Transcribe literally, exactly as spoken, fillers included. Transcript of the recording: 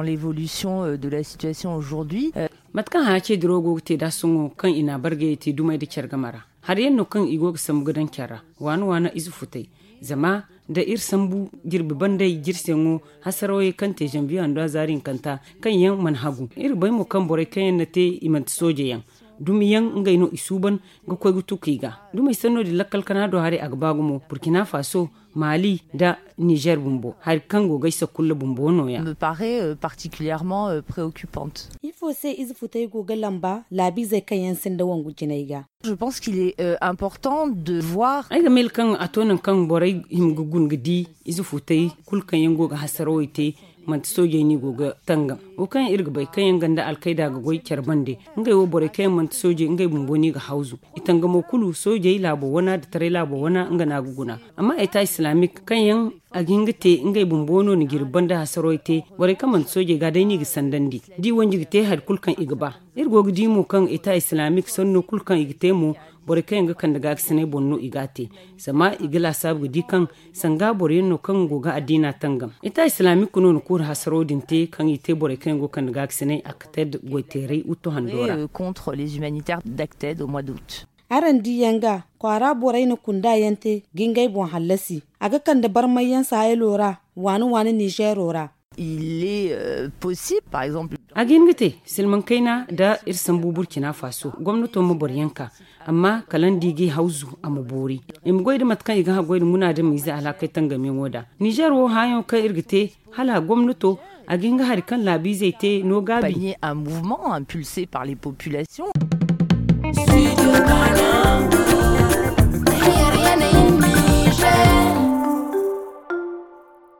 L'évolution, euh, de la situation aujourd'hui, euh, mate kaŋ haya ce dirawo go ga te da sohõ kaŋ i na a bargayey te dumey nda care game ra. Hari yaŋ no kaŋ i go ga sambu ga daŋ care ra, waana waana ize futay. Zama da iri sambu jirbi banday jirseyaŋo, hasarawey kaŋ te zanviye handu a zaari hinkanta, kaŋ yaŋ mana hagu. Iri ga bay mo kaŋ borey kaŋ yaŋ na te, i manti sooje yaŋ, dumi yaŋ, ngey no i suuban ga koy ga tuku i ga. Dumey sanno din lakkal kana do haray a ga ba gumo, burkina faso, mali nda nizer bumbo, hari kaŋ go ga ay sakulla bumbo no- ya. Me paraît, euh, particulièrement, euh, préoccupante. Ifo se ize futay go ga lamba laabiizey kaŋ yaŋ sinda wangu jinay ga? Je pense qu'il est, euh, important de voir. Ay ga mil kaŋ a to nangu kaŋ borey hima ga guna ga di ize futay kulu kaŋ yaŋ go ga hasarawey te, manti soojey no i go ga tangam. Wo kaŋ iri ga bay kaŋ yaŋ ganda alkayda ga goy care bande, ngey wo borey kaŋ yaŋ manti soojey, ngey bumbo no i ga hawzu. I tangamo kulu, soojey laabo wana nda taray laabo wana, nga no a ga guna. Amma eta islamik kaŋ yaŋ a ga hin ga te ngey bumbo no na jirbi banda hasarawey te, borey kaŋ manti soojey ga day no i ga sandandi. Da i wanji ga te hari kulu kaŋ i ga ba. Iri go ga di mo kaŋ eta islamik sanno kulu kaŋ i ga te mo, borey kaŋ yaŋ ga kande gaakasinay boŋ no i ga a te. Zama i ga laasaabu ga di kaŋ sanga boro yaŋ no kaŋ go ga addiina tangam. Eta islamik no na kuuru hasaro din te kaŋ i te borey kaŋ yaŋ go ga kande gaakasinay a ga te goyteeray wutto hando ra. Euh, contre les humanitaires d'Acted au mois d'août. Araŋ di yaŋ ga kwaara borey na kunda yaŋ te ga ngey boŋ hallasi. A ga kande barmay yaŋ sahelo ra, waani waani nizero ra. Il est, euh, possible, par exemple. A ga hin ga te silmaŋ kayna da iri sambu burkina faso gomnato ma boro yaŋ ka, amma kala ni di ga i hawzu a ma boori. I ma goy da mate kaŋ i ga haggoy da munaadamiize alhakey tangam yaŋo da nizer wo hããyaŋo kaŋ iri ga te, hala gomnato a ga hin ga hari kaŋ laabiizey te no gaabi. Panier un mouvement impulsé par les populations.